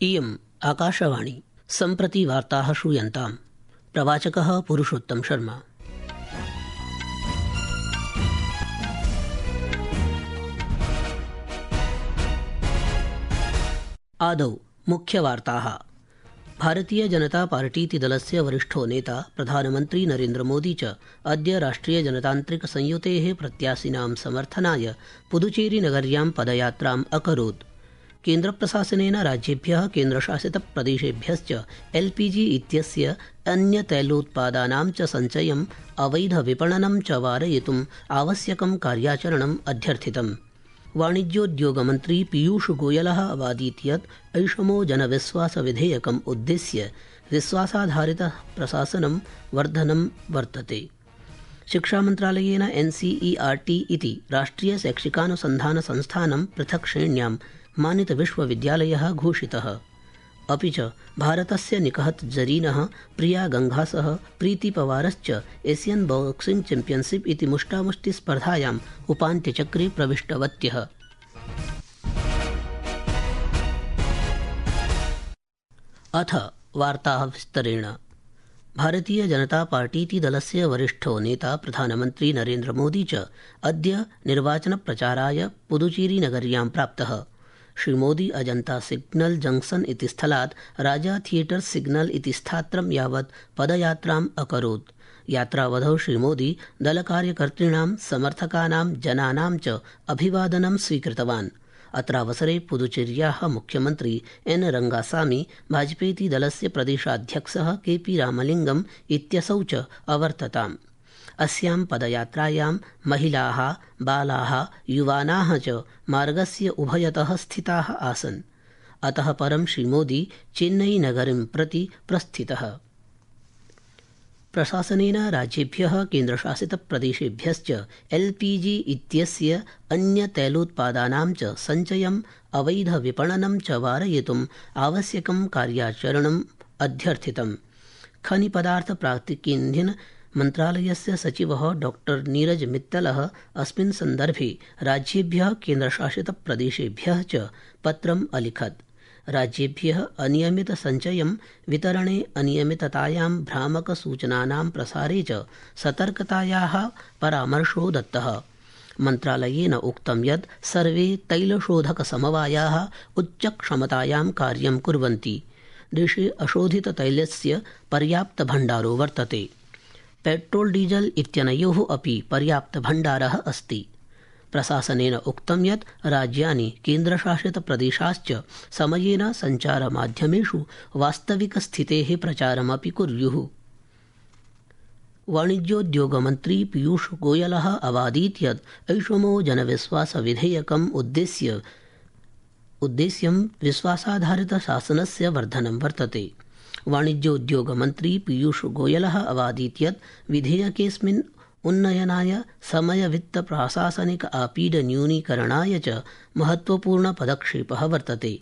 इयम् आकाशवाणी। सम्प्रति वार्ताः श्रूयन्ताम्। प्रवाचकः पुरुषोत्तम शर्मा। आदौ मुख्यवार्ताः। भारतीय जनता पार्टीति दलस्य वरिष्ठो नेता प्रधानमन्त्री नरेन्द्र मोदी च अद्य राष्ट्रिय जनतान्त्रिक संयुतेः प्रत्याशिनां समर्थनाय पुदुचेरीनगर्यां पदयात्राम् अकरोत्। केन्द्रप्रशासनेन राज्येभ्यः केन्द्रशासितप्रदेशेभ्यश्च एलपीजी इत्यस्य अन्यतैलोत्पादानां च सञ्चयम् अवैधविपणनं च वारयितुम् आवश्यकं कार्याचरणम् अध्यर्थितम्। वाणिज्योद्योगमन्त्री पीयूषगोयलः अवादीत् यत् ऐषमो जनविश्वासविधेयकम् उद्दिश्य विश्वासाधारितः प्रशासनं वर्धनं वर्तते। शिक्षामन्त्रालयेन एनसीईआरटी इति राष्ट्रियशैक्षिकानुसन्धानसंस्थानं पृथक् श्रेण्यां मानितविश्वविद्यालयः घोषितः। अपि च भारतस्य निकहत् जरीनः प्रिया गंघासः प्रीतिपवारश्च एशियन बॉक्सिंग चैम्पियनशिप इति मुष्टामुष्टिस्पर्धायाम् उपान्त्यचक्रे प्रविष्टवत्यः। अथ वार्ताः विस्तरेण। भारतीय जनता पार्टीति दलस्य वरिष्ठो नेता प्रधानमन्त्री नरेन्द्र मोदी च अद्य निर्वाचनप्रचाराय पुदुचेरीनगर्यां प्राप्तः। श्रीमोदी अजन्ता सिग्नल जंक्शन इति स्थलात् राजा थियेटर सिग्नल इति स्थात्रं यावत् पदयात्राम् अकरोत्। यात्रावधौ श्रीमोदी दलकार्यकर्तॄणां समर्थकानां जनानां च अभिवादनं स्वीकृतवान्। अत्रावसरे पुदुचेर्याः मुख्यमन्त्री एन रंगासामी, भाजपेति दलस्य प्रदेशाध्यक्षः केपी रामलिंगम इत्यसौ च अवर्तताम्। अस्यां पदयात्रायां महिलाः, बालाः, युवानाः च मार्गस्य उभयतः स्थिताः आसन्। अतः परं श्रीमोदी चेन्नईनगरीं प्रति प्रस्थितः। प्रशासनेन राज्येभ्यः केन्द्रशासितप्रदेशेभ्यश्च एलपीजी इत्यस्य अन्यतैलोत्पादानां च सञ्चयम् अवैधविपणनं च वारयितुम् आवश्यकं कार्याचरणम् अध्यर्थितम्। खनिपदार्थ प्राकृतिकीन्धन मन्त्रालयस्य सचिवः डॉक्टर नीरज मित्तलः अस्मिन् सन्दर्भे राज्येभ्यः केन्द्रशासितप्रदेशेभ्यः च पत्रम् अलिखत्। राज्येभ्यः अनियमितसञ्चयं वितरणे अनियमिततायां भ्रामकसूचनानां प्रसारे च सतर्कतायाः परामर्शो दत्तः। मन्त्रालयेन उक्तं यत् सर्वे तैलशोधकसमवायाः उच्चक्षमतायां कार्यं कुर्वन्ति। देशे अशोधिततैलस्य पर्याप्तभण्डारो वर्तते। पेट्रोल डीजल इत्यनयोः अपि पर्याप्तभण्डारः अस्ति। प्रशासनेन उक्तं यत् राज्यानि केन्द्रशासितप्रदेशाश्च समयेन सञ्चारमाध्यमेषु वास्तविकस्थितेः प्रचारमपि कुर्युः। वाणिज्योद्योगमन्त्री पीयूषगोयलः अवादीत् यत् ऐषमो जनविश्वासविधेयकम् उद्देश्यं विश्वासाधारितशासनस्य वर्धनं वर्तते। वाणिज्योद्योगमन्त्री पीयूषगोयलः अवादीत् यत् विधेयकेऽस्मिन् उन्नयनाय समयवित्तप्रशासनिक आपीडन्यूनीकरणाय च महत्वपूर्णपदक्षेपः वर्तते।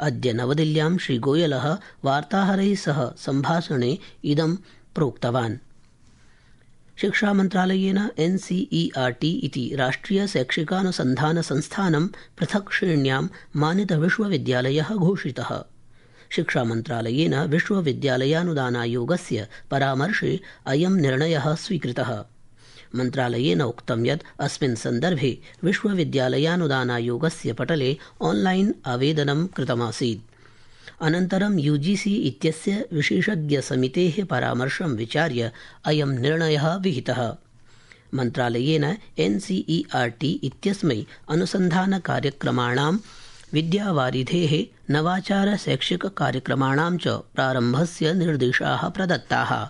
अद्य नवदिल्ल्यां श्रीगोयलः वार्ताहरैः सह सम्भाषणे इदं प्रोक्तवान्। शिक्षामन्त्रालयेन एनसीईआरटी इति राष्ट्रियशैक्षिकानुसन्धानसंस्थानं पृथक् श्रेण्यां मानितविश्वविद्यालयः घोषितः। शिक्षामन्त्रालयेन विश्वविद्यालयानुदानायोगस्य परामर्शे अयं निर्णयः स्वीकृतः। मन्त्रालयेन उक्तं यत् अस्मिन् सन्दर्भे विश्वविद्यालयानुदानायोगस्य पटले ऑनलाइन आवेदनं कृतमासीत्। अनन्तरं यूजीसी इत्यस्य विशेषज्ञसमितेः परामर्शं विचार्य अयं निर्णयः विहितः। मन्त्रालयेन एनसीईआरटी इत्यस्मै अनुसन्धानकार्यक्रमाणां विद्यावारिधेः नवाचार शैक्षिककार्यक्रमाणां च प्रारम्भस्य निर्देशाः प्रदत्ताः।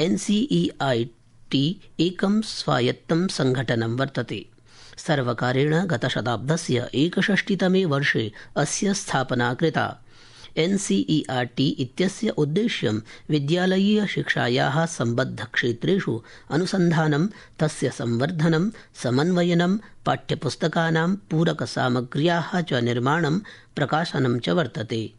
एनसीईआरटी एकं स्वायत्तं सङ्घटनं वर्तते। सर्वकारेण गतशताब्दस्य 61तमे वर्षे अस्य स्थापना कृता। एनसीईआरटी इत्यस्य उद्देश्यं विद्यालयीयशिक्षायाः सम्बद्धक्षेत्रेषु अनुसन्धानं, तस्य संवर्धनं, समन्वयनं, पाठ्यपुस्तकानां पूरकसामग्र्याः च निर्माणं, प्रकाशनं च वर्तते।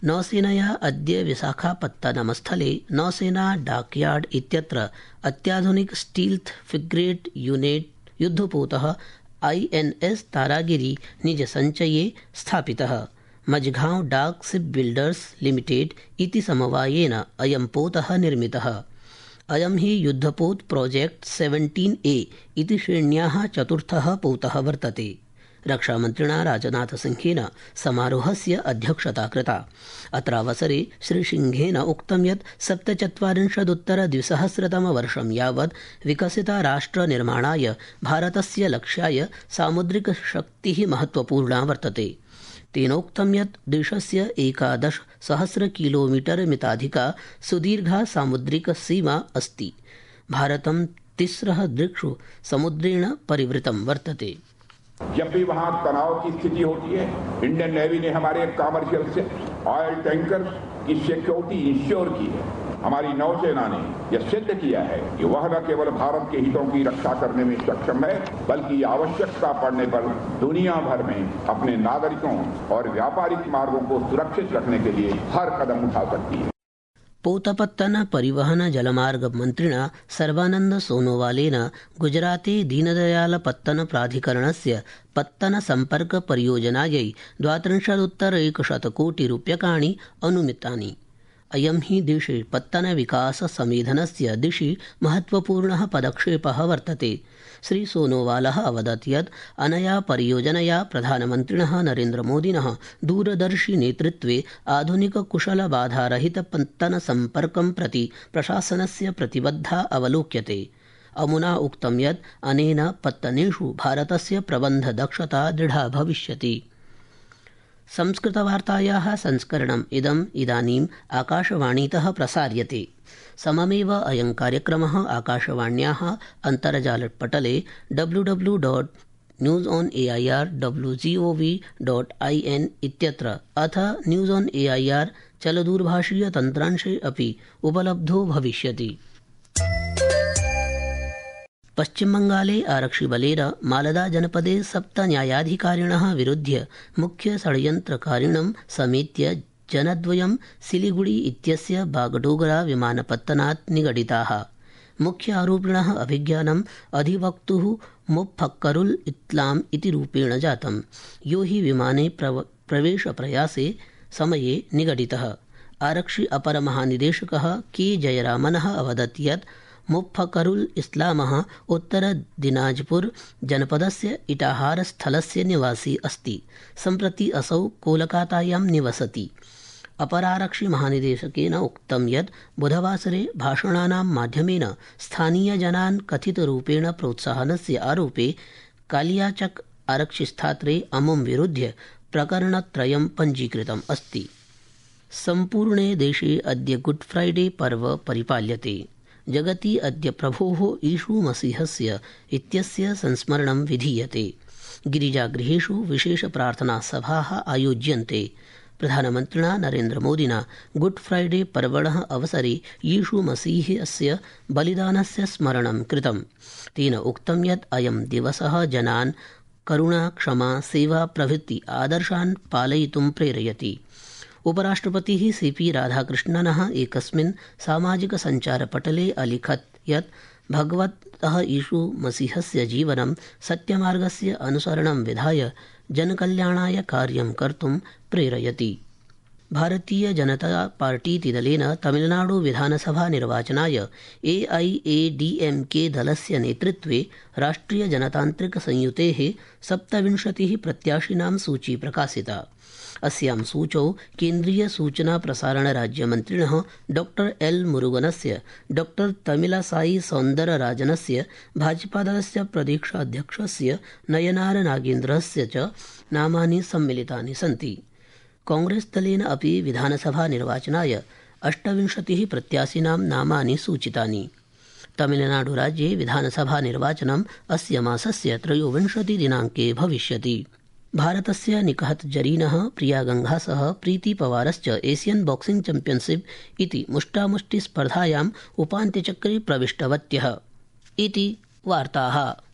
नौसेनया अद्य विशाखापत्तनमस्थले नौसेना डाकयार्ड इत्यत्र अत्याधुनिक स्टील्थ फ्रिगेट यूनिट युद्धपोतः INS तारागिरी निजसञ्चये स्थापितः। मझगांव डाक शिप बिल्डर्स लिमिटेड इति समवायेन अयं पोतः निर्मितः। अयं हि युद्धपोत प्रोजेक्ट 17A इति श्रेण्याः चतुर्थः पोतः वर्तते। रक्षामन्त्रिणा राजनाथसिंहेन समारोहस्य अध्यक्षता कृता। अत्रावसरे श्रीसिंहेन उक्तं यत् 47-द्विसहस्रतमवर्षं यावत् विकसिता राष्ट्रनिर्माणाय भारतस्य लक्ष्याय सामुद्रिकशक्तिः महत्वपूर्णा वर्तते। तेनोक्तं यत् देशस्य 11,000 किलोमीटर मिताधिका सुदीर्घा सामुद्रिक सीमा अस्ति। भारतं 3 दिक्षु समुद्रेण परिवृतं वर्तते। जब भी वहां तनाव की स्थिति होती है, इंडियन नेवी ने हमारे कमर्शियल से ऑयल टैंकर की सिक्योरिटी इंश्योर की है। हमारी नौसेना ने यह सिद्ध किया है कि वह न केवल भारत के हितों की रक्षा करने में सक्षम है, बल्कि आवश्यकता पड़ने पर दुनिया भर में अपने नागरिकों और व्यापारिक मार्गों को सुरक्षित रखने के लिए हर कदम उठा सकती है। पोतपत्तन परिवहन जलमार्ग मन्त्रिणा सर्बानन्द सोनोवालेन गुजराते दीनदयालपत्तन प्राधिकरणस्य पत्तन सम्पर्क परियोजनायै 32,100 कोटिरूप्यकाणि अनुमितानि। अयं हि देशे पत्तन विकास समेधनस्य दिशि महत्वपूर्णः पदक्षेपः वर्तते। श्री सोनोवालः अवदत् यत् अनया परियोजनया प्रधानमन्त्रिणः नरेन्द्रमोदिनः दूरदर्शि नेतृत्वे आधुनिक कुशल बाधारहित पत्तन सम्पर्कं प्रति प्रशासनस्य प्रतिबद्धा अवलोक्यते। अमुना उक्तं यत् अनेन पत्तनेषु भारतस्य प्रबन्ध दक्षता दृढा भविष्यति। संस्कृतवार्तायाः संस्करणम् इदानीम् आकाशवाणीतः प्रसार्यते। सममेव अयं कार्यक्रमः आकाशवाण्याः अन्तर्जालपटले www.newsonair.gov.in इत्यत्र अथ न्यूज़ ऑन एआईआर चलदूरभाषीय तन्त्रांशे अपि उपलब्धो भविष्यति। पश्चिमबंगाले आरक्षिबलेन मालदा जनपदे 7 न्यायाधिकारिणः विरुध्य मुख्य षड्यन्त्रकारिणं समेत्य जनद्वयं सिलिगुड़ी इत्यस्य बागडोगरा विमानपत्तनात् निगडिताः। मुख्य आरोपिणः अभिज्ञानम् अधिवक्तुः मुफक्करुल इस्लाम इति रूपेण जातम्, यो हि विमाने प्रवेशप्रयासे समये निगडितः। आरक्षि अपरमहानिदेशकः के जयरामनः अवदत् यत् मुफक्करुल इस्लामः उत्तरदिनाजपुर जनपदस्य इटाहार स्थलस्य निवासी अस्ति। सम्प्रति असौ कोलकातायां निवसति। अपरारक्षि महानिदेशकेन उक्तं यत् बुधवासरे भाषणानां माध्यमेन स्थानीयजनान् कथितरूपेण प्रोत्साहनस्य आरोपे कालियाचक आरक्षिस्थात्रे अमुं विरुध्य प्रकरणत्रयं पञ्जीकृतम् अस्ति। सम्पूर्णे देशे अद्य गुड फ्राइडे पर्व परिपाल्यते। जगति अद्य प्रभोः ईशुमसीहस्य इत्यस्य संस्मरणं विधीयते। गिरिजागृहेषु विशेषप्रार्थनासभाः आयोज्यन्ते। प्रधानमन्त्रिणा नरेन्द्रमोदिना गुड फ्राइडे पर्वणः अवसरे यीशुमसीहस्य बलिदानस्य स्मरणं कृतम्। तेन उक्तं यत् अयं दिवसः जनान् करुणा, क्षमा, सेवा प्रभृति आदर्शान् पालयितुं प्रेरयति। उपराष्ट्रपतिः सीपी राधाकृष्णनः एकस्मिन् सामाजिकसञ्चारपटले अलिखत् यत् भगवतः ईशुमसीहस्य जीवनं सत्यमार्गस्य अनुसरणं विधाय जनकल्याणाय कार्यं कर्तुं प्रेरयति। भारतीय जनता पार्टीतिदलेन तमिलनाडु विधानसभा निर्वाचनाय AIADMK दलस्य नेतृत्वे राष्ट्रिय जनतान्त्रिक संयुतेः 27 प्रत्याशिनां सूची प्रकाशिता। अस्यां सूचौ केन्द्रीय सूचना प्रसारण राज्यमन्त्रिणः डॉक्टर एल मुरुगनस्य, डॉक्टर तमिलसाई सौन्दरराजनस्य, भाजपादलस्य प्रदेशाध्यक्षस्य नयनार नागेन्द्रस्य च नामानि सम्मिलितानि सन्ति। कांग्रेसदलेन अपि विधानसभा निर्वाचनाय 28 प्रत्याशिनां नामानि सूचितानि। तमिलनाडुराज्ये विधानसभा निर्वाचनम् अस्य मासस्य 23 दिनाङ्के भविष्यति। भारतस्य निकहत जरीनः प्रिया गंघासः प्रीतिपवारश्च एशियन बॉक्सिंग चैम्पियनशिप इति मुष्टामुष्टि स्पर्धायाम् उपान्त्यचक्रे प्रविष्टवत्यः इति वार्ताः।